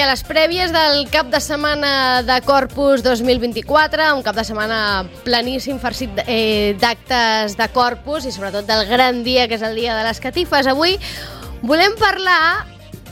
a les prèvies del cap de setmana de Corpus 2024, un cap de setmana planíssim, farcit d'actes de Corpus i sobretot del gran dia, que és el dia de les catifes. Avui volem parlar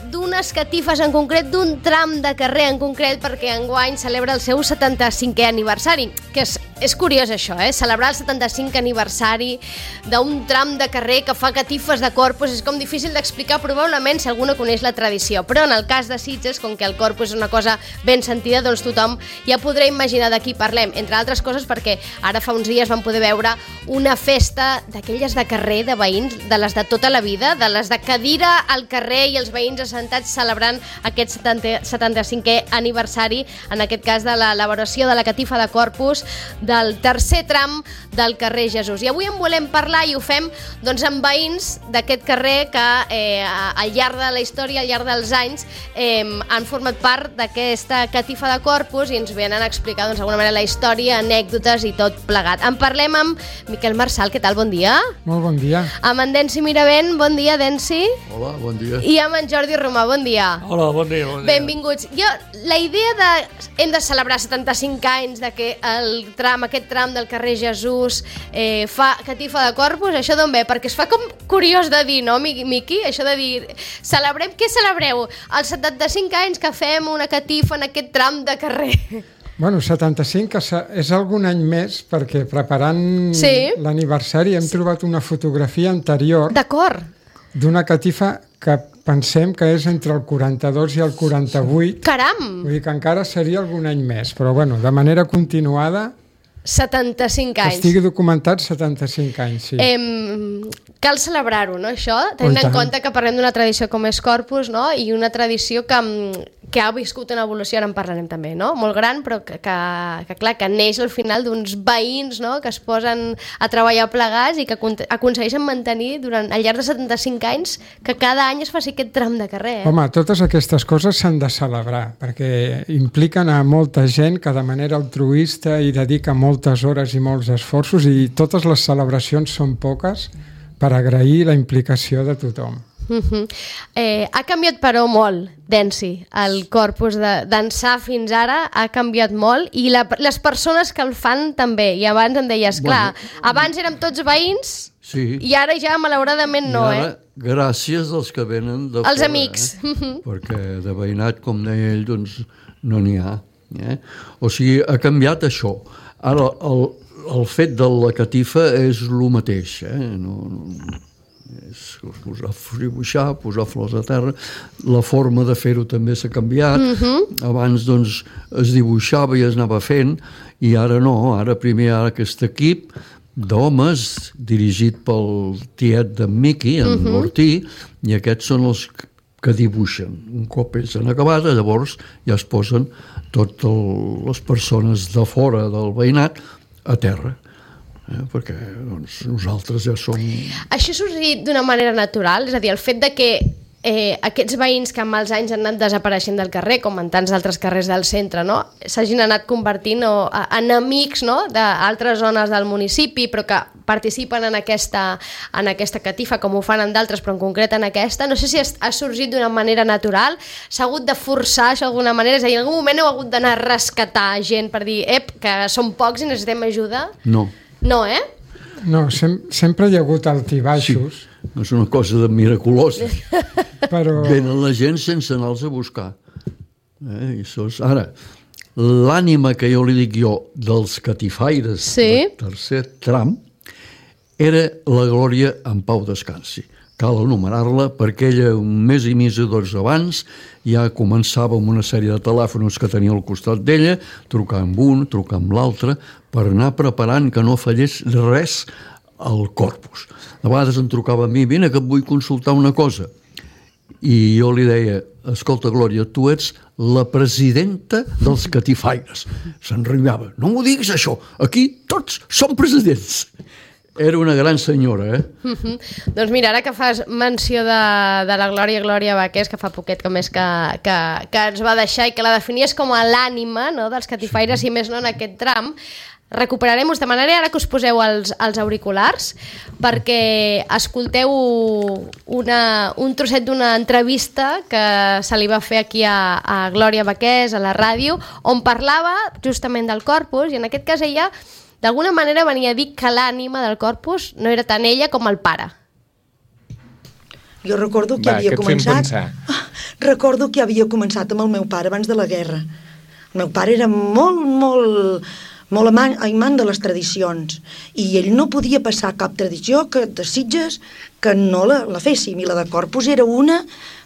d'unes catifes en concret, d'un tram de carrer en concret, perquè enguany celebra el seu 75è aniversari, que és curiós això, celebrar el 75è aniversari d'un tram de carrer que fa catifes de Corpus és com difícil d'explicar probablement si algú no coneix la tradició, però en el cas de Sitges, com que el Corpus és una cosa ben sentida, doncs tothom ja podrà imaginar de qui parlem, entre altres coses perquè ara fa uns dies vam poder veure una festa d'aquelles de carrer, de veïns, de les de tota la vida, de les de cadira al carrer i els veïns assentats celebrant aquest 75è aniversari, en aquest cas de l'elaboració de la catifa de Corpus del tercer tram del carrer Jesús. I avui en volem parlar i ho fem doncs, amb veïns d'aquest carrer que al llarg de la història, al llarg dels anys, han format part d'aquesta catifa de Corpus i ens venen a explicar doncs, d'alguna manera la història, anècdotes i tot plegat. En parlem amb Miquel Marçal, què tal? Bon dia. Molt bon dia. Amb en Densi Miravent, bon dia, Densi. Hola, bon dia. I amb en Jordi Romà, bon dia. Hola, bon dia, bon dia. Benvinguts. La idea de hem de celebrar 75 anys de que aquest tram del carrer Jesús fa catifa de Corpus, això d'on ve? Perquè es fa com curiós de dir, no, Miqui? Això de dir, què celebreu? Els 75 anys que fem una catifa en aquest tram de carrer. Bueno, 75 és algun any més, perquè preparant l'aniversari hem trobat una fotografia anterior d'una catifa que pensem que és entre el 42 i el 48. Caram! Vull dir que encara seria algun any més, però bueno, de manera continuada 75 anys. Estigui documentat 75 anys, sí. Cal celebrar-ho, no, això? Tenint en compte que parlem d'una tradició com és Corpus, no? I una tradició que ha viscut una evolució, ara en parlarem també, no? Molt gran, però que clar, que neix al final d'uns veïns, no? Que es posen a treballar plegats i que aconsegueixen mantenir durant al llarg de 75 anys que cada any es faci aquest tram de carrer. Home, totes aquestes coses s'han de celebrar, perquè impliquen a molta gent que de manera altruista hi dedica moltes hores i molts esforços, i totes les celebracions són poques per agrair la implicació de tothom. Ha canviat però molt, Densi, el Corpus d'ençà fins ara ha canviat molt i les persones que el fan també, i abans em deies, clar, abans érem tots veïns i ara ja malauradament no, gràcies als que venen de fora. Els amics. Perquè de veïnat, com deia ell, doncs no n'hi ha. O sigui, ha canviat això. Ara, el fet de la catifa és el mateix, és dibuixar, posar flors a terra. La forma de fer-ho també s'ha canviat. Abans doncs es dibuixava i es anava fent, i ara no, ara primer hi ha aquest equip d'homes dirigit pel tiet d'en Miqui, en Ortí, i aquests són els que dibuixen. Un cop és en acabada, llavors ja es posen totes les persones de fora del veïnat a terra, perquè doncs, nosaltres ja som... Això ha sorgit d'una manera natural? És a dir, el fet de que aquests veïns que amb els anys han anat desapareixent del carrer, com en tants altres carrers del centre, no? S'hagin anat convertint en amics, no? D'altres zones del municipi, però que participen en aquesta catifa, com ho fan en d'altres, però en concret en aquesta. No sé si ha sorgit d'una manera natural, s'ha hagut de forçar això d'alguna manera, és a dir, en algun moment heu hagut d'anar a rescatar gent per dir, que som pocs i necessitem ajuda? No. No, No, sempre hi ha hagut altibaixos. Sí, no és una cosa de miraculosa. Però... Venen la gent sense anar-los a buscar. Ara, l'ànima que jo li dic dels catifaires del tercer tram era la Glòria en pau descansi. Cal enumerar-la perquè ella un mes i mig abans ja començava amb una sèrie de telèfons que tenia al costat d'ella, trucar amb un, trucar amb l'altre, per anar preparant que no fallés res al Corpus. De vegades em trucava a mi, vine que et vull consultar una cosa. I jo li deia, escolta Glòria, tu ets la presidenta dels catifaires. Se'n riava, no m'ho diguis això, aquí tots som presidents. Era una gran senyora, Doncs mira, ara que fas menció de la Glòria Baqués, que fa poquet com és que ens va deixar i que la definies com a l'ànima, no, dels catifaires, i més no en aquest tram, recuperarem, us demanaré ara que us poseu els auriculars perquè escolteu un trosset d'una entrevista que se li va fer aquí a Glòria Baqués, a la ràdio, on parlava justament del Corpus, i en aquest cas ella d'alguna manera venia a dir que l'ànima del Corpus no era tant ella com el pare. Jo recordo que havia començat... Recordo que havia començat amb el meu pare abans de la guerra. El meu pare era molt amant de les tradicions i ell no podia passar cap tradició de Sitges que no la féssim, i la de Corpus era una,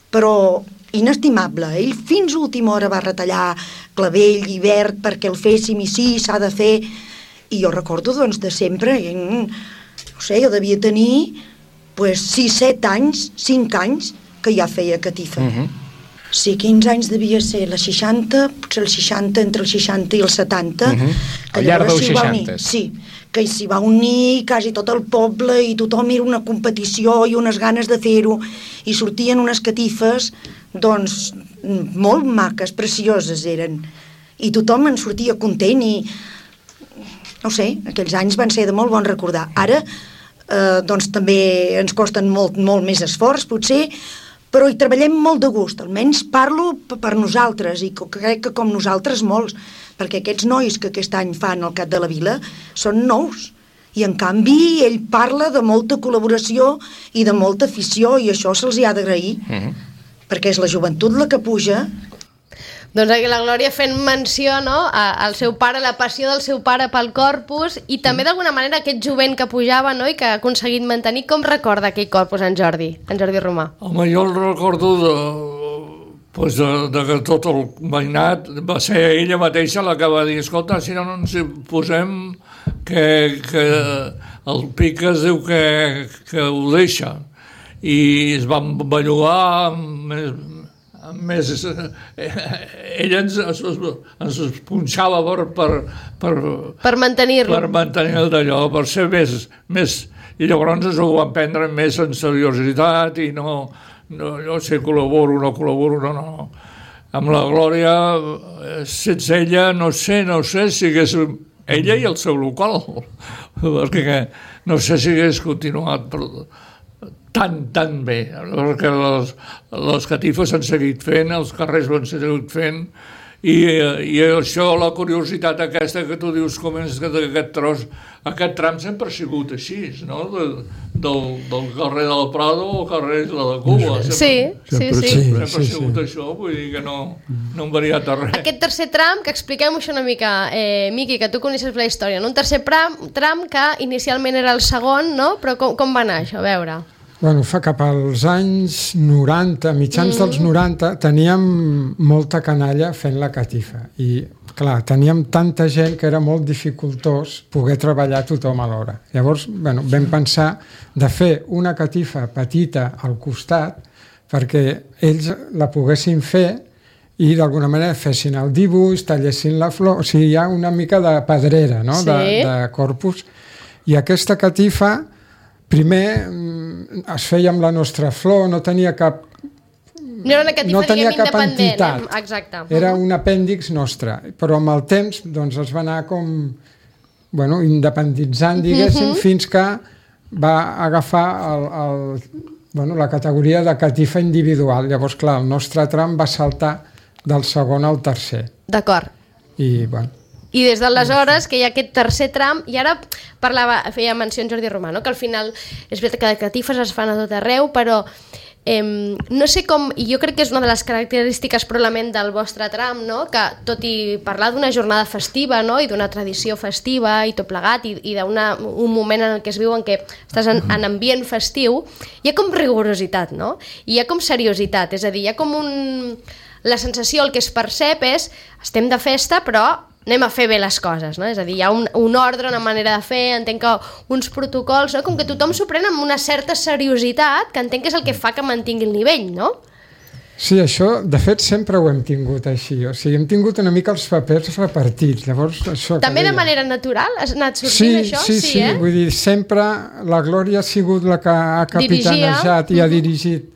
però inestimable. Ell fins a última hora va retallar clavell i verd perquè el féssim, i sí, s'ha de fer, i jo recordo doncs de sempre, no sé, jo devia tenir 6-7 anys, 5 anys que ja feia catifa. Sí, 15 anys devia ser la 60, potser el 60, entre el 60 i el 70. Al llarg dels 60. Sí, que s'hi va unir quasi tot el poble i tothom era una competició i unes ganes de fer-ho, i sortien unes catifes, doncs, molt maques, precioses eren, i tothom en sortia content i, no sé, aquells anys van ser de molt bon recordar. Ara, doncs també ens costen molt més esforç, potser, però hi treballem molt de gust, almenys parlo per nosaltres, i crec que com nosaltres molts, perquè aquests nois que aquest any fan el Cat de la Vila són nous, i en canvi ell parla de molta col·laboració i de molta afició, i això se'ls ha d'agrair, perquè és la joventut la que puja. Doncs aquí la Glòria fent menció, no?, al seu pare, la passió del seu pare pel Corpus, i també d'alguna manera aquest jovent que pujava, no?, i que ha aconseguit mantenir. Com recorda aquell Corpus en Jordi Romà? Home, jo el recordo de que tot el veïnat va ser ella mateixa la que va dir: escolta, si no ens posem que el Pica es diu que ho deixa, i es van bellugar més, ella ens punxava per mantenir-lo, per mantenir d'allò, per ser més, i llavors ens ho van prendre més en seriositat, i no sé, col·laboro, no. Amb la Glòria, sense ella, no sé si hagués, ella i el seu local, perquè no sé si hagués continuat tan bé, perquè les catifes s'han seguit fent, els carrers s'han seguit fent, i això, la curiositat aquesta que tu dius, com és aquest tros, aquest tram sempre ha sigut així, no?, del carrer del Prado al carrer de la Cuba. Sempre ha sigut això, vull dir que no han variat a res. Aquest tercer tram, que expliquem això una mica, Miqui, que tu coneixes la història, no? Un tercer tram que inicialment era el segon, no?, però com va anar això? A veure... Bueno, fa cap als anys 90, mitjans dels 90, teníem molta canalla fent la catifa. I, clar, teníem tanta gent que era molt dificultós poder treballar tothom alhora. Llavors, bueno, vam pensar de fer una catifa petita al costat perquè ells la poguessin fer i d'alguna manera fessin el dibuix, tallessin la flor, o sigui, hi ha una mica de pedrera, no?, de Corpus. I aquesta catifa primer es feia amb la nostra flor, no tenia cap... No era una catifa, diguem, independent. Exacte. Era un apèndix nostre, però amb el temps doncs, es va anar com independitzant, diguéssim, fins que va agafar la categoria de catifa individual. Llavors, clar, el nostre tram va saltar del segon al tercer. D'acord. I, bueno... I des d'aleshores que hi ha aquest tercer tram, i ara feia menció en Jordi Romà, no?, que al final és veritat que les catifes es fan a tot arreu, però no sé com, i jo crec que és una de les característiques probablement del vostre tram, no?, que tot i parlar d'una jornada festiva, no?, i d'una tradició festiva i tot plegat, i d'un moment en què es viu en què estàs en ambient festiu, hi ha com rigorositat, no?, i hi ha com seriositat, és a dir, hi ha com la sensació, el que es percep és estem de festa, però anem a fer bé les coses, no? És a dir, hi ha un ordre, una manera de fer, entenc que uns protocols, no?, com que tothom s'ho pren amb una certa seriositat, que entenc que és el que fa que mantingui el nivell, no? Sí, això, de fet, sempre ho hem tingut així. O sigui, hem tingut una mica els papers repartits. Llavors, això també de manera natural? Has anat sortint això? Sí. Vull dir, sempre la Glòria ha sigut la que ha capitanejat i ha dirigit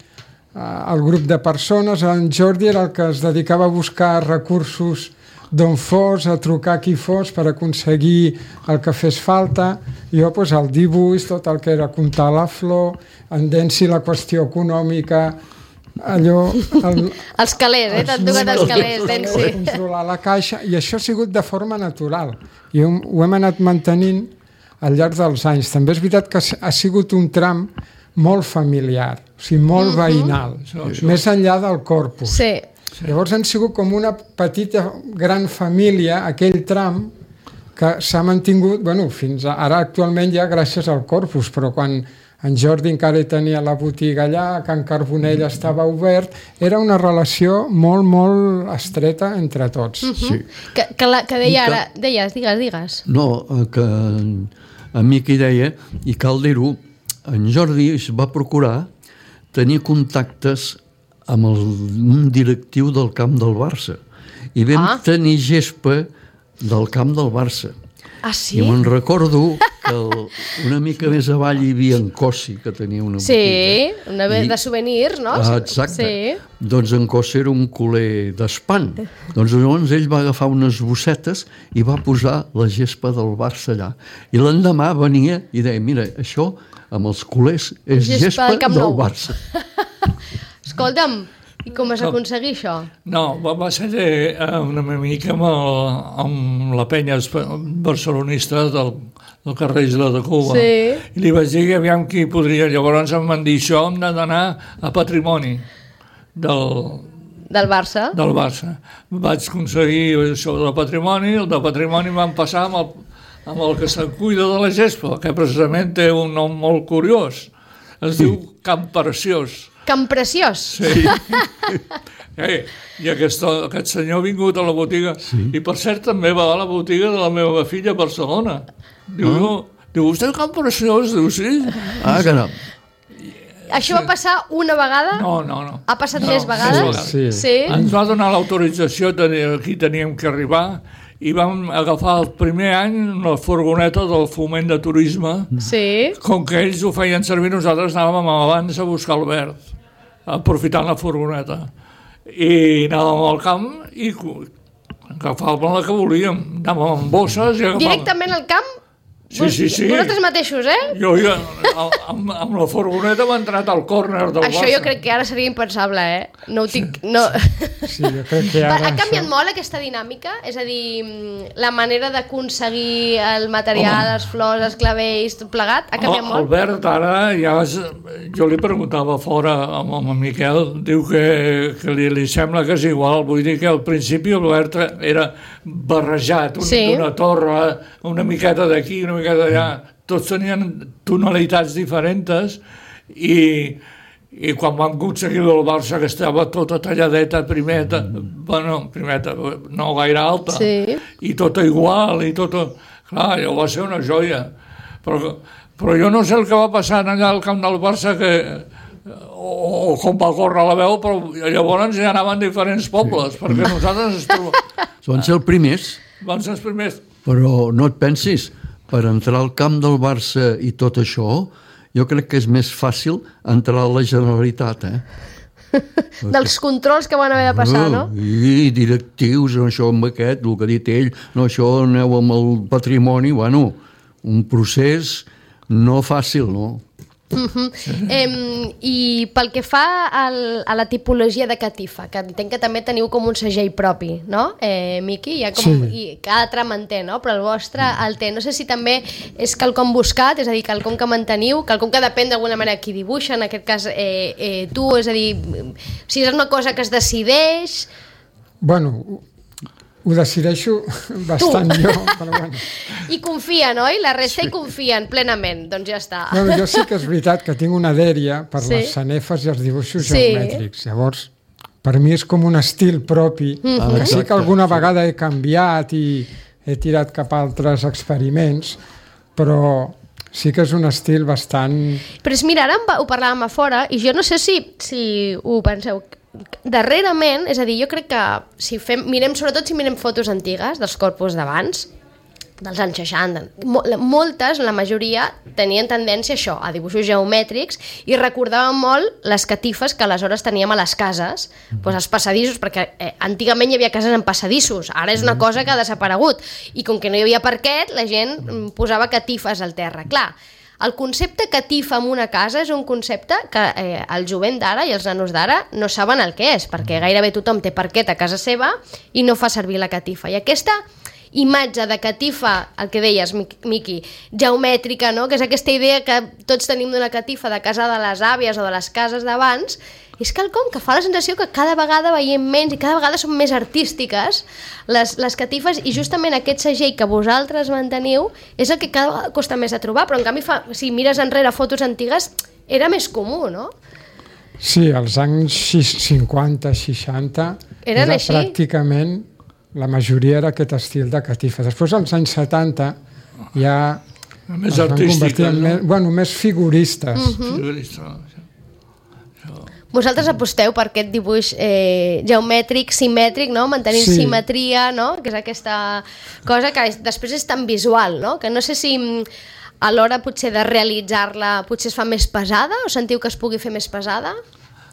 el grup de persones. En Jordi era el que es dedicava a buscar recursos d'on fos, a trucar qui fos per aconseguir el que fes falta. Jo, doncs, el dibuix, tot el que era comptar la flor, endensi la qüestió econòmica, allò... Els calés, t'han tocat els calés, Densi. Controlar la caixa, i això ha sigut de forma natural. I ho hem anat mantenint al llarg dels anys. També és veritat que ha sigut un tram molt familiar, o sigui, molt veïnal, més enllà del corpus. Sí. Llavors han sigut com una petita, gran família, aquell tram, que s'ha mantingut, fins ara actualment ja gràcies al corpus, però quan en Jordi encara tenia la botiga allà, Can Carbonell estava obert, era una relació molt, molt estreta entre tots. Sí. Que deia ara... Digues. No, que a mi qui deia, i cal dir-ho, en Jordi es va procurar tenir contactes amb un directiu del camp del Barça. I vam tenir gespa del camp del Barça. Ah, sí? I me'n recordo que una mica més avall hi havia en Cossi, que tenia una botiga. Sí, una vez de souvenirs, no? Exacte. Sí. Doncs en Cossi era un culer d'espant. Doncs llavors ell va agafar unes bossetes i va posar la gespa del Barça allà. I l'endemà venia i deia, mira, això amb els culers és gespa del Barça. Escolta'm, i com vas aconseguir això? No, va ser una mica amb la penya barcelonista del carrer Isla de Cuba. Sí. I li vaig dir que aviam qui podria. Llavors em van dir, això hem d'anar a Patrimoni del Barça. Del Barça. Vaig aconseguir això del Patrimoni, el de Patrimoni van passar amb el que se'n cuida de la gespa, que precisament té un nom molt curiós. Es diu Camp Preciós. Camp Preciós? Sí. I aquest senyor ha vingut a la botiga, i per cert també va a la botiga de la meva filla a Barcelona. Diu, vostè és Camp Preciós? Diu, sí. Ah, caram. Això va passar una vegada? No. Ha passat més vegades? Sí. Ens va donar l'autorització, aquí teníem que arribar, i vam agafar el primer any la furgoneta del foment de turisme. Sí. Com que ells ho feien servir, nosaltres anàvem abans a buscar el verd, aprofitant la furgoneta. I anàvem al camp i agafàvem la que volíem. Anàvem amb bosses i agafàvem... Directament al camp? Sí. Vosaltres mateixos, Jo amb la furgoneta m'he entrat al córner del Barça. Això jo crec que ara seria impensable, No ho tinc... No. Sí, jo crec que ara... Ha canviat molt aquesta dinàmica? És a dir, la manera d'aconseguir el material, les flors, els clavells, tot plegat, ha canviat molt? Albert, ara ja... Jo li preguntava fora amb el Miquel, diu que li sembla que és igual. Vull dir que al principi Albert era barrejat, una torre, una miqueta d'aquí, una miqueta d'allà. Tots tenien tonalitats diferents i quan vam aconseguir el Barça, que estava tota talladeta, primeta, no gaire alta, i tota igual, i tota... Clar, allò va ser una joia. Però jo no sé el que va passar allà al camp del Barça, o com va córrer la veu, però llavors ja anaven diferents pobles, perquè nosaltres... Van ser els primers. Van ser els primers. Però no et pensis, per entrar al camp del Barça i tot això, jo crec que és més fàcil entrar a la Generalitat, Dels controls que van haver de passar, no? I directius, això amb aquest, el que ha dit ell, no, això aneu amb el patrimoni, un procés no fàcil, no? I pel que fa a la tipologia de catifa, que entenc que també teniu com un segell propi, no, Miqui? I cada tram en té, no? Però el vostre el té. No sé si també és quelcom buscat, és a dir, quelcom que manteniu, quelcom que depèn d'alguna manera qui dibuixa, en aquest cas tu, és a dir, si és una cosa que es decideix... Bueno, ho decideixo bastant jo, però bueno. I confien, oi? La resta hi confien plenament, doncs ja està. Bueno, jo sí que és veritat que tinc una dèria per les sanefes i els dibuixos geomètrics. Llavors, per mi és com un estil propi, que sí que alguna vegada he canviat i he tirat cap a altres experiments, però sí que és un estil bastant... Però mira, ara ho parlàvem a fora, i jo no sé si ho penseu, darrerament, és a dir, jo crec que si mirem fotos antigues dels corpus d'abans, dels anys 60. Moltes, la majoria, tenien tendència a això, a dibuixos geomètrics, i recordaven molt les catifes que aleshores teníem a les cases, doncs els passadissos, perquè antigament hi havia cases amb passadissos, ara és una cosa que ha desaparegut, i com que no hi havia parquet, la gent posava catifes al terra. Clar, el concepte catifa en una casa és un concepte que el jovent d'ara i els nanos d'ara no saben el que és, perquè gairebé tothom té parquet a casa seva i no fa servir la catifa. I aquesta imatge de catifa, el que deies, Miqui, geomètrica, no? Que és aquesta idea que tots tenim d'una catifa de casa de les àvies o de les cases d'abans, és quelcom que fa la sensació que cada vegada veiem menys i cada vegada són més artístiques les catifes, i justament aquest segell que vosaltres manteniu és el que cada vegada costa més de trobar, però en canvi si mires enrere fotos antigues era més comú, no? Sí, als anys 50, 60 era així? Pràcticament la majoria era aquest estil de catifa. Després, als anys 70, ja més artística, més figuristes. Vosaltres aposteu per aquest dibuix geomètric, simètric, no? Mantenint simetria, no? Que és aquesta cosa que després és tan visual, no? Que no sé si a l'hora potser de realitzar-la potser es fa més pesada, o sentiu que es pugui fer més pesada?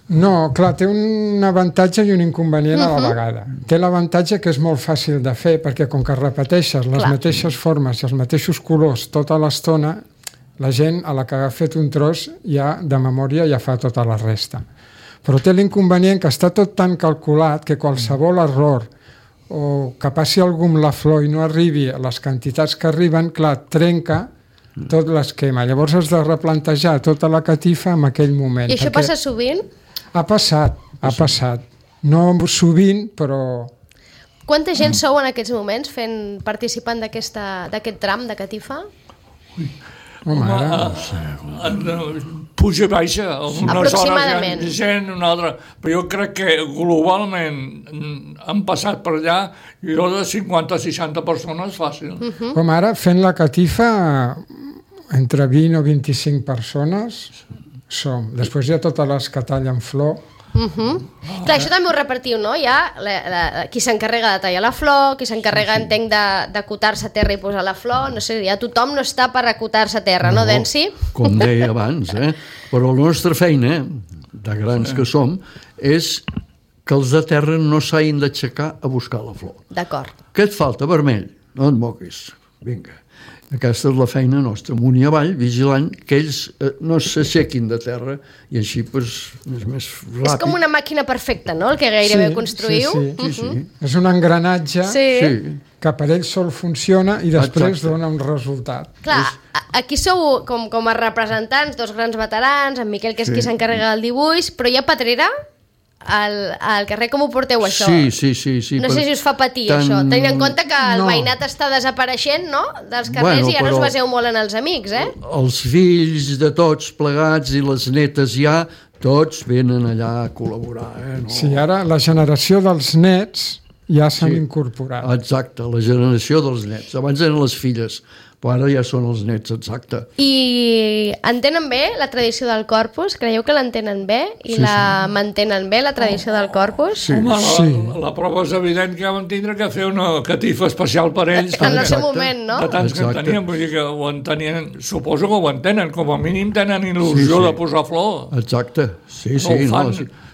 No, clar, té un avantatge i un inconvenient a la vegada. Té l'avantatge que és molt fàcil de fer, perquè com que repeteixes les mateixes formes i els mateixos colors tota l'estona, la gent a la que ha fet un tros ja de memòria ja fa tota la resta. Però té l'inconvenient que està tot tan calculat que qualsevol error o que passi algú amb la flor i no arribi a les quantitats que arriben, clar, trenca tot l'esquema. Llavors has de replantejar tota la catifa en aquell moment. I això passa sovint? Ha passat. No sovint, però... Quanta gent sou en aquests moments participant d'aquest tram de catifa? Puja i baixa, unes hores gent, una altra, però jo crec que globalment han passat per allà jo de 50-60 persones fàcil. Com ara, fent la catifa, entre 20 o 25 persones som. Després hi ha totes les que tallen flor. Clar, això també ho repartiu, no? Hi ha qui s'encarrega de tallar la flor, qui s'encarrega, entenc, d'acotar-se a terra i posar la flor, no sé, ja tothom no està per acotar-se a terra, no, Densi? Com deia abans, però la nostra feina, de grans que som, és que els de terra no s'hagin d'aixecar a buscar la flor. D'acord. Què et falta, vermell? No et moguis, vinga. Aquesta és la feina nostra, amunt i avall, vigilant que ells no s'aixequin de terra i així és més ràpid. És com una màquina perfecta, no?, el que gairebé construïu. Sí. És un engranatge que per ells sol funciona i després dona un resultat. Clar, aquí sou com a representants, dos grans veterans, en Miquel, que és qui s'encarrega del dibuix, però hi ha Pedrera al carrer. Com ho porteu, això? Sí. No sé si us fa patir, això, tenint en compte que el veïnat està desapareixent, no?, dels carrers, i ara us baseu molt en els amics, Els fills de tots plegats i les netes ja, tots venen allà a col·laborar, no? Sí, ara la generació dels nets ja s'han incorporat. Exacte, la generació dels nets. Abans eren les filles, però ara ja són els nets, exacte. I entenen bé la tradició del Corpus? Creieu que l'entenen bé? I la mantenen bé, la tradició del Corpus? Sí. La prova és evident que vam tindre que fer una catifa especial per ells. En el seu moment, no? De tants que en tenien, vull dir que ho entenien, suposo que ho entenen, com a mínim tenen il·lusió de posar flor. Exacte, sí.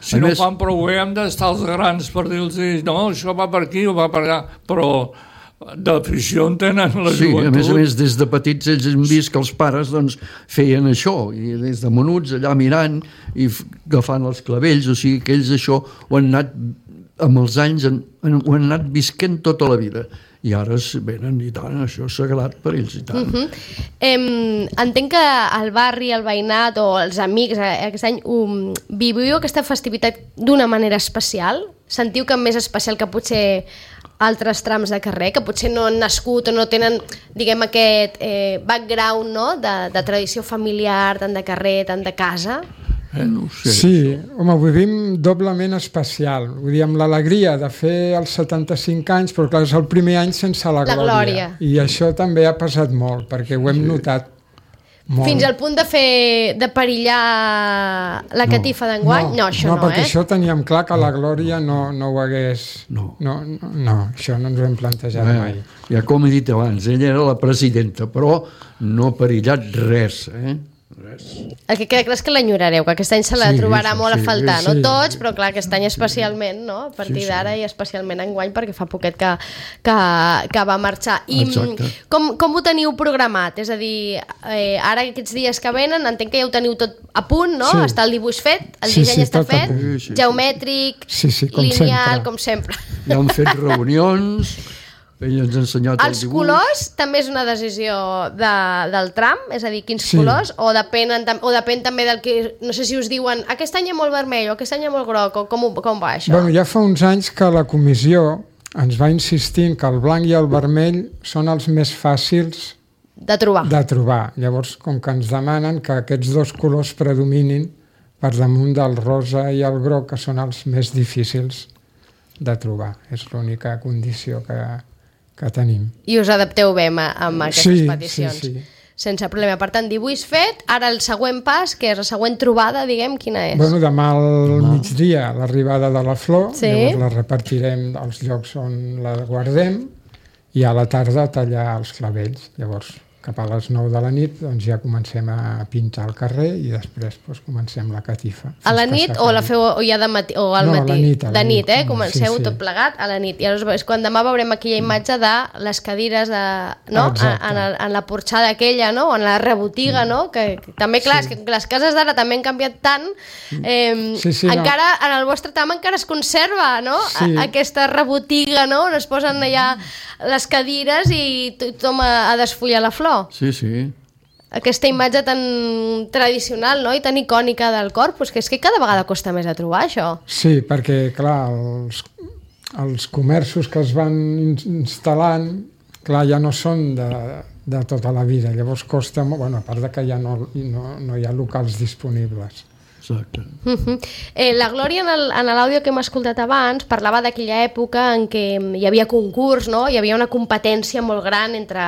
Si no ho fan prou bé, hem d'estar els grans per dir-los, no, això va per aquí o va per allà, però d'afició en tenen la joventut. A més, des de petits ells han vist que els pares feien això, i des de menuts allà mirant i agafant els clavells, o sigui que ells això ho han anat, amb els anys, ho han anat visquent tota la vida. I ara venen i tant, això és sagrat per ells i tant. Entenc que el barri, el veïnat o els amics aquest any viviu aquesta festivitat d'una manera especial? Sentiu que més especial que potser altres trams de carrer, que potser no han nascut o no tenen, diguem, aquest background, no?, de tradició familiar, tant de carrer, tant de casa? No ho sé. Sí, home, ho vivim doblement especial. Vull dir, amb l'alegria de fer els 75 anys, però clar, és el primer any sense la glòria. I això també ha pesat molt, perquè ho hem notat Fins al punt de perillar la catifa d'enguany? No, això no, perquè això teníem clar que la Glòria no ho hagués... No, això no ens ho hem plantejat mai. Ja com he dit abans, ella era la presidenta, però no ha perillat res, Res. El que queda clar és que l'enyorareu, que aquest any se la trobarà molt a faltar, no tots, però clar, aquest any especialment, no? A partir d'ara i especialment enguany, perquè fa poquet que va marxar. I com ho teniu programat? És a dir, ara aquests dies que venen, entenc que ja ho teniu tot a punt, no? Està el dibuix fet, el disseny està fet, geomètric, lineal, com sempre. Ja han fet reunions... Ell ens ha ensenyat el dibuix. Els colors també és una decisió del tram? És a dir, quins colors? O depèn també del que... No sé si us diuen aquest any hi ha molt vermell o aquest any hi ha molt groc, o com va això? Bueno, ja fa uns anys que la comissió ens va insistint que el blanc i el vermell són els més fàcils de trobar. Llavors, com que ens demanen que aquests dos colors predominin per damunt del rosa i el groc, que són els més difícils de trobar. És l'única condició que tenim. I us adapteu bé amb aquestes peticions. Sí. Sense problema. Per tant, dibuix fet, ara el següent pas, que és la següent trobada, diguem, quina és? Bueno, demà al migdia, l'arribada de la flor, llavors la repartirem als llocs on la guardem, i a la tarda tallar els clavells. Llavors, cap a les 9 de la nit, doncs ja comencem a pintar el carrer i després comencem la catifa. A la nit o la feu ja de matí o al matí? De nit, comenceu tot plegat a la nit. I llavors quan demà veurem aquella imatge de les cadires en la porxada aquella, no? O en la rebotiga, no? Que també, clar, és que les cases d'ara també han canviat tant. Encara, en el vostre tram encara es conserva, no? Aquesta rebotiga, no? On es posen allà les cadires i tothom a desfollar la flor. Sí. Aquesta imatge tan tradicional, no? I tan icònica del Corpus, que és que cada vegada costa més a trobar, això. Sí, perquè, clar, els comerços que es van instal·lant, clar, ja no són de tota la vida. Llavors costa molt, a part de que ja no hi ha locals disponibles. Exacte. La Glòria, en l'àudio que hem escoltat abans, parlava d'aquella època en què hi havia concurs, no? Hi havia una competència molt gran entre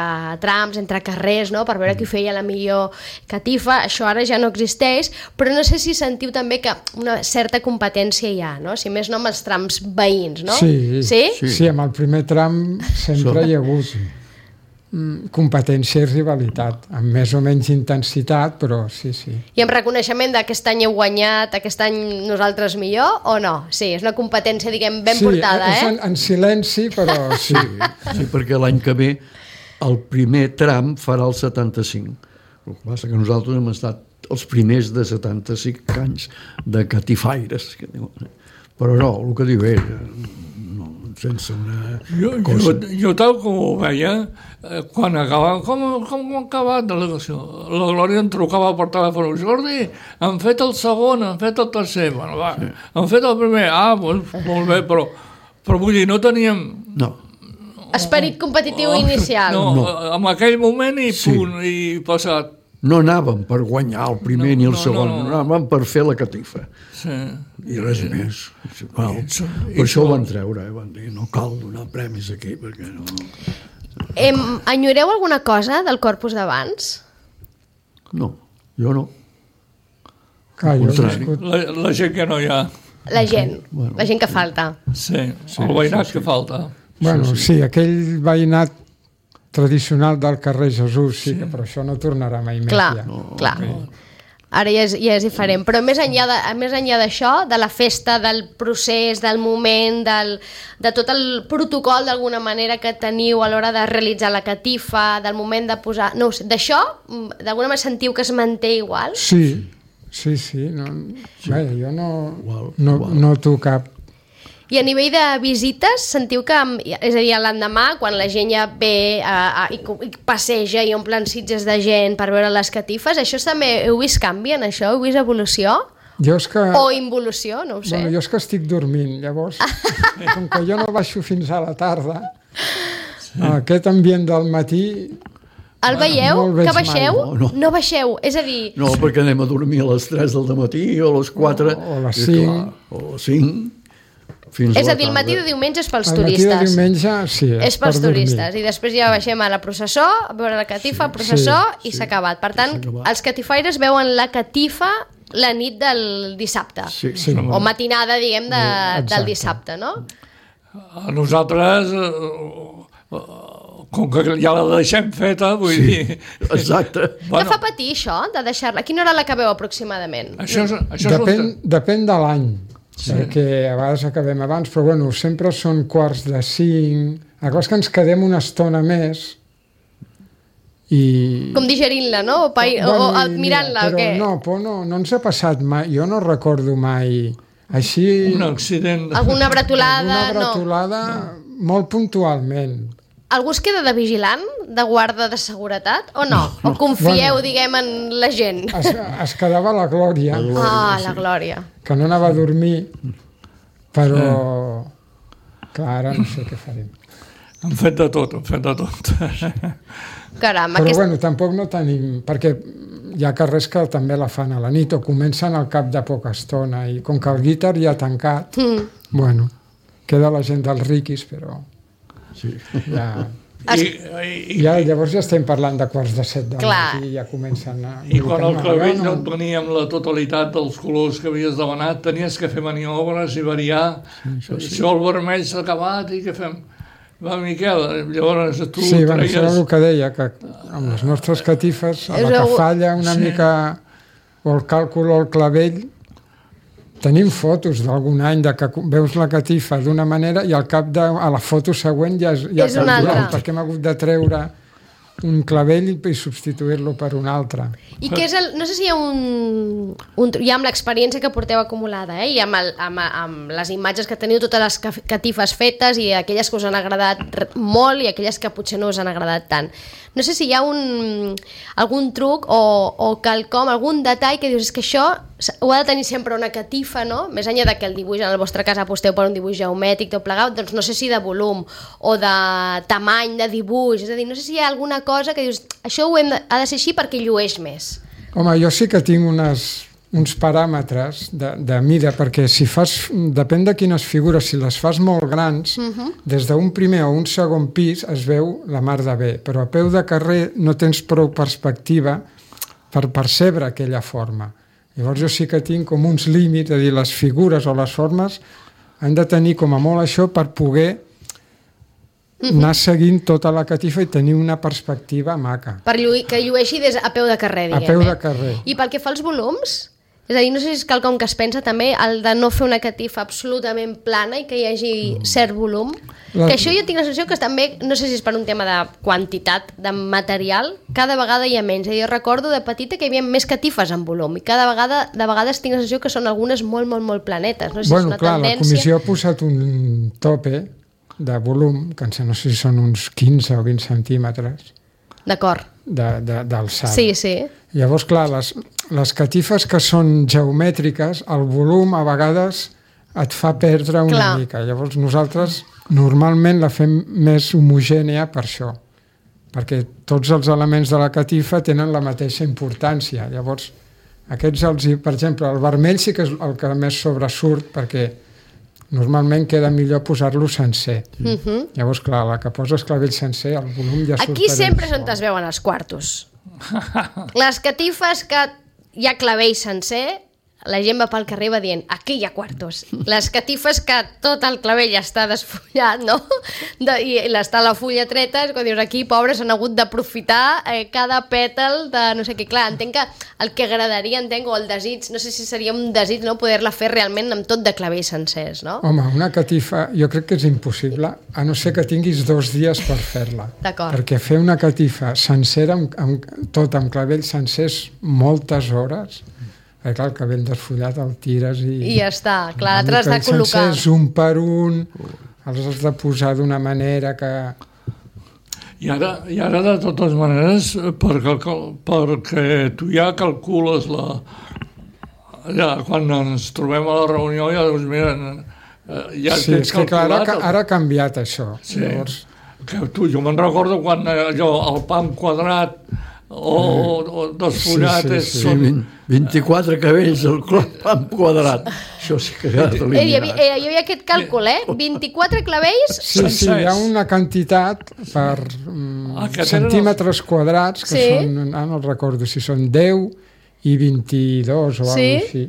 trams, entre carrers, no? Per veure qui feia la millor catifa. Això ara ja no existeix, però no sé si sentiu també que una certa competència hi ha, no? Si més no amb els trams veïns, no? Sí, amb el primer tram sempre hi ha hagut competència i rivalitat, amb més o menys intensitat, però sí. I amb reconeixement d'aquest any heu guanyat, aquest any nosaltres millor, o no? Sí, és una competència, diguem, ben portada, Sí, en silenci, però sí. Sí, perquè l'any que ve el primer tram farà el 75. El que passa que nosaltres hem estat els primers de 75 anys de catifaires. Però no, el que diu ell, sense una cosa... Jo tal com ho veia, quan acabava, com ha acabat la delegació? La Glòria em trucava per telèfon, Jordi, han fet el segon, han fet el tercer, bueno, va, han fet el primer, doncs, molt bé, però vull dir, no teníem... No. Esperit competitiu inicial. No, en aquell moment i punt, i passat. No anàvem per guanyar el primer ni el segon, anàvem per fer la catifa. Sí. I res més. Per això ho van treure, van dir, no cal donar premis aquí, perquè no... Enyoreu alguna cosa del Corpus d'abans? No, jo no. La gent que no hi ha. La gent que falta. Sí, el veïnat que falta. Bueno, sí, aquell veïnat tradicional del carrer Jesús, sí, però això no tornarà mai més. Clar. Ara ja és diferent. Però més enllà d'això, de la festa, del procés, del moment, de tot el protocol d'alguna manera que teniu a l'hora de realitzar la catifa, del moment de posar... No sé, d'això, d'alguna manera sentiu que es manté igual? Sí. Jo no noto cap... I a nivell de visites, sentiu que, és a dir, l'endemà, quan la gent ja ve i passeja i omplen sitges de gent per veure les catifes, això també heu vist canvi en això? Heu vist evolució? O involució, no ho sé. Jo és que estic dormint, llavors, com que jo no baixo fins a la tarda, aquest ambient del matí... El veieu? Que baixeu? No baixeu, és a dir... No, perquè anem a dormir a les 3 del matí o a les 4... O a les 5. O a les 5... És a dir, el matí de diumenge és pels turistes. El matí de diumenge, sí, és pels turistes. I després ja baixem a la processó, a veure la catifa, processó, i s'ha acabat. Per tant, els catifaires veuen la catifa la nit del dissabte. O matinada, diguem, del dissabte, no? Nosaltres, com que ja la deixem feta, vull dir... Exacte. Què fa patir, això, de deixar-la? A quina hora l'acabeu, aproximadament? Depèn de l'any. Perquè a vegades acabem abans, però bueno, sempre són 4:45. La cosa és que ens quedem una estona més i... Com digerint-la, no? O admirant-la, o què? No ens ha passat mai. Jo no recordo mai així... Un accident. Alguna bretolada, molt puntualment. Algú es queda de vigilant, de guarda de seguretat, o no? O confieu, diguem, en la gent? Es quedava la Glòria. La Glòria. Que no anava a dormir, però... Clar, ara no sé què farem. Hem fet de tot. Caram, però bueno, tampoc no tenim... Perquè hi ha carrers que també la fan a la nit o comencen al cap de poca estona i com que el guitar ja ha tancat, bueno, queda la gent dels riquis, però... Llavors ja estem parlant de 6:45 del matí i ja comencen a... I quan el clavell no et venia amb la totalitat dels colors que havies demanat, tenies que fer maniobres i variar. Això el vermell s'ha acabat i què fem? Va, Miquel, llavors tu treies... Sí, això és el que deia, que amb les nostres catifes, a la que falla una mica o el càlcul o el clavell, tenim fotos d'algun any de que veus la catifa d'una manera i al cap a la foto següent ja és una altra. Perquè hem hagut de treure un clavell i substituir-lo per un altre. I què és no sé si hi ha ja amb l'experiència que porteu acumulada, i amb les imatges que teniu, totes les catifes fetes i aquelles que us han agradat molt i aquelles que potser no us han agradat tant. No sé si hi ha algun truc o quelcom, algun detall que dius, és que això ho ha de tenir sempre una catifa, no? Més enllà de que el dibuix, en el vostre cas aposteu per un dibuix geomètric, tot plegat, doncs no sé si de volum o de tamany de dibuix, és a dir, no sé si hi ha alguna cosa que dius, això ha de ser així perquè llueix més. Home, jo sí que tinc uns paràmetres de mida, perquè si fas, depèn de quines figures, si les fas molt grans, des d'un primer o un segon pis es veu la mar de bé, però a peu de carrer no tens prou perspectiva per percebre aquella forma. Llavors jo sí que tinc com uns límits, és a dir, les figures o les formes han de tenir com a molt això per poder anar seguint tota la catifa i tenir una perspectiva maca. Que llueixi a peu de carrer, diguem. A peu de carrer. I pel que fa als volums? És a dir, no sé si és quelcom que es pensa també, el de no fer una catifa absolutament plana i que hi hagi cert volum. Que això jo tinc la sensació que també, no sé si és per un tema de quantitat de material, cada vegada hi ha menys. Jo recordo de petita que hi havia més catifes en volum i cada vegada, de vegades tinc la sensació que són algunes molt, molt, molt planetes. No sé si és una tendència. La comissió ha posat un tope de volum, que no sé si són uns 15 o 20 centímetres. D'acord. D'alçada. Sí. Llavors, clar, les catifes que són geomètriques, el volum a vegades et fa perdre una mica. Llavors nosaltres normalment la fem més homogènia per això, perquè tots els elements de la catifa tenen la mateixa importància. Llavors, aquests, per exemple, el vermell sí que és el que més sobresurt, perquè normalment queda millor posar-lo sencer. Llavors, clar, la que poses clavell sencer, el volum ja surt. Aquí sempre és on es veuen els quartos. Les catifes que hi ha clavell sencer, la gent va pel carrer i va dient, aquí hi ha quartos. Les catifes que tot el clavell està desfullat, no? I està la fulla treta, quan dius, aquí, pobres, han hagut d'aprofitar cada pètal de no sé què. Clar, entenc que el que agradaria, o el desig, no sé si seria un desig, no?, poder-la fer realment amb tot de clavell sencers, no? Home, una catifa jo crec que és impossible, a no ser que tinguis 2 dies per fer-la. D'acord. Perquè fer una catifa sencera, tot amb clavell sencer, és moltes hores. Clar, el cabell desfullat el tires i ja està, clar, l'altre has de col·locar. Sencers, un per un, els has de posar d'una manera que... I ara de totes maneres, perquè tu ja calcules quan ens trobem a la reunió, ja dius, mira, ja tens calculat... Clar, ara ha canviat això. Sí, jo me'n recordo quan allò, el pam quadrat, o desfollat. Sí, 24 cabells al clam quadrat. Això sí que ha d'eliminar. Hi havia aquest càlcul, 24 clavells... Sí, hi ha una quantitat per centímetres quadrats, que són, no recordo si són 10 i 22 o alguna cosa així.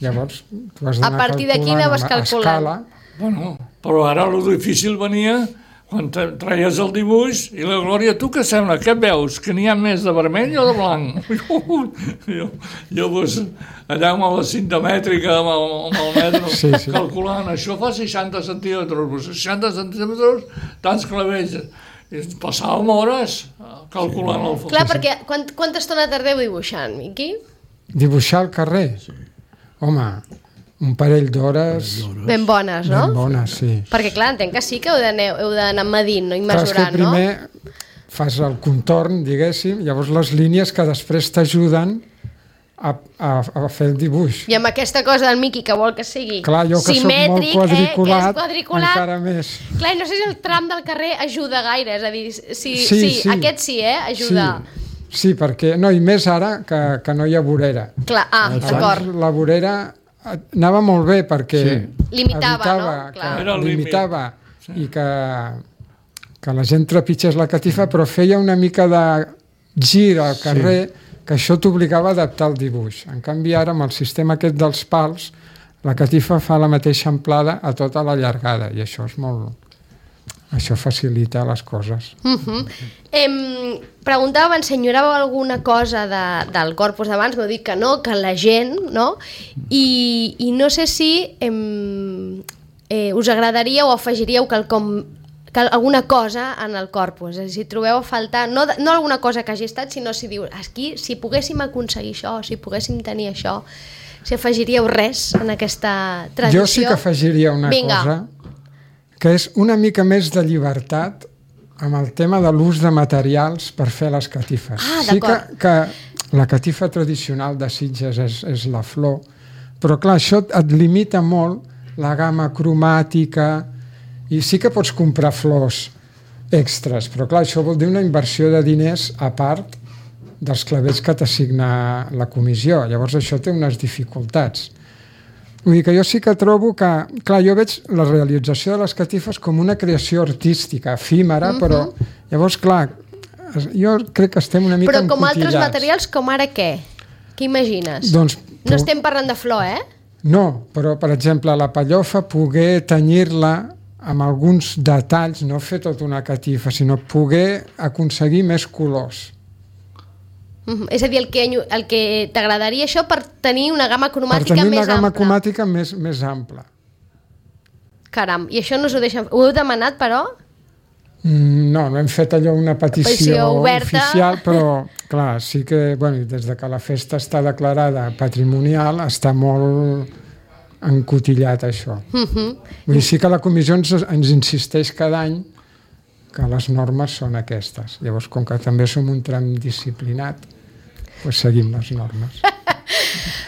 Llavors, tu has d'anar calculant a escala. Bueno, però ara el difícil venia quan traies el dibuix i la Glòria, tu què sembla? Què veus? Que n'hi ha més de vermell o de blanc? Jo allà amb la cinta mètrica, amb el metre, calculant, això fa 60 centímetres, 60 centímetres, tants clavells. Passàvem hores calculant el fons. Clar, perquè quanta estona tardeu dibuixant, Miqui? Dibuixar al carrer? Home, un parell d'hores... Ben bones, no? Ben bones, sí. Perquè, clar, entenc que sí que heu d'anar medint, no? I mesurant, no? Clar, és que primer fas el contorn, diguéssim, llavors les línies que després t'ajuden a fer el dibuix. I amb aquesta cosa del Miqui que vol que sigui clar, jo que simètric, soc molt quadriculat, encara més. Clar, no sé si el tram del carrer ajuda gaire, és a dir, aquest sí, ajuda. Sí, perquè, no, i més ara que no hi ha vorera. Clar, d'acord. La vorera anava molt bé perquè limitava, no? Clar. Limitava i que la gent trepitgés la catifa, però feia una mica de gir al carrer que això t'obligava a adaptar el dibuix. En canvi, ara, amb el sistema aquest dels pals, la catifa fa la mateixa amplada a tota la llargada, i això és molt... Això facilita les coses. Preguntava abans, enyoràveu alguna cosa del corpus d'abans, m'heu dit que no, que la gent, no? I no sé si us agradaria o afegiríeu alguna cosa en el corpus, és a dir, si trobeu a faltar, no alguna cosa que hagi estat, sinó si dius, aquí, si poguéssim aconseguir això, si poguéssim tenir això, si afegiríeu res en aquesta tradició. Jo sí que afegiria una cosa, que és una mica més de llibertat amb el tema de l'ús de materials per fer les catifes. Sí que la catifa tradicional de Sitges és la flor, però clar, això et limita molt la gamma cromàtica i sí que pots comprar flors extras, però clar, això vol dir una inversió de diners a part dels clavells que t'assigna la comissió. Llavors això té unes dificultats. Vull dir que jo sí que trobo que... Clar, jo veig la realització de les catifes com una creació artística, efímera, però llavors, clar, jo crec que estem una mica encotillats. Però com altres materials, com ara què? Què imagines? Doncs, no estem parlant de flor, No, però, per exemple, la pellofa, poder tenyir-la amb alguns detalls, no fer tota una catifa, sinó poder aconseguir més colors. És a dir, el que t'agradaria això per tenir una gamma cromàtica més ampla. Per tenir una gamma cromàtica més ampla. Caram, i això no us ho deixen... Ho heu demanat, però? No hem fet allò una petició oficial, però clar, sí que, des de que la festa està declarada patrimonial, està molt encotillat això. Vull dir, sí que la comissió ens insisteix cada any que les normes són aquestes. Llavors, com que també som un tram disciplinat, doncs seguim les normes.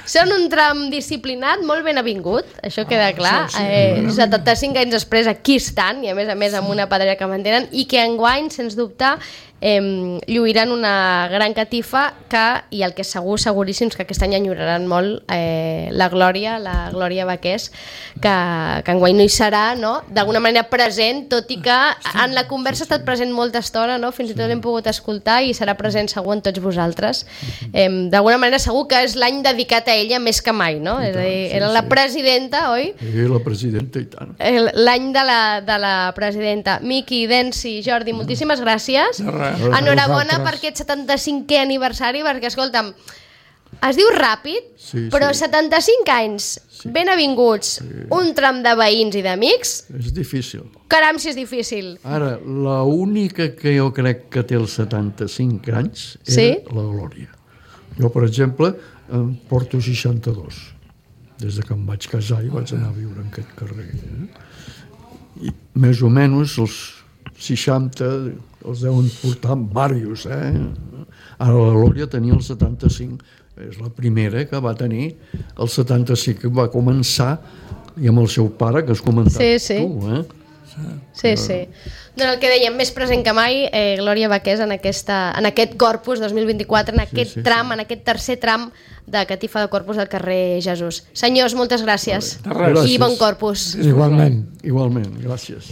Són un tram disciplinat molt ben avingut, això queda clar. 75 anys després aquí estan, i a més amb una pedrera que mantenen, i que enguany, sens dubte, lluiran una gran catifa i el que és seguríssim és que aquest any enyoraran molt la Glòria Baqués, que enguany no hi serà, no? D'alguna manera present, tot i que en la conversa ha estat present molta estona, no? Fins i tot l'hem pogut escoltar i serà present segur en tots vosaltres. D'alguna manera segur que és l'any dedicat a ella més que mai, no? És a dir, era la presidenta, oi? Sí, la presidenta i tant. L'any de la presidenta. Miqui, Densi, Jordi, moltíssimes gràcies. Enhorabona per aquest 75è aniversari, perquè, escolta'm, es diu ràpid, però 75 anys, ben avinguts, un tram de veïns i d'amics... És difícil. Caram, si és difícil. Ara, l'única que jo crec que té els 75 anys era la Glòria. Jo, per exemple, em porto 62. Des que em vaig casar i vaig anar a viure en aquest carrer. I més o menys els 60... els deuen portar en diversos, Ara la Glòria tenia el 75, és la primera que va tenir el 75, que va començar, i amb el seu pare, que has comentat tu, Sí. Doncs el que dèiem, més present que mai, Glòria Baqués, en aquest Corpus 2024, en aquest tram, en aquest tercer tram de Catifa de Corpus del carrer Jesús. Senyors, moltes gràcies. I bon Corpus. Igualment. Igualment, gràcies.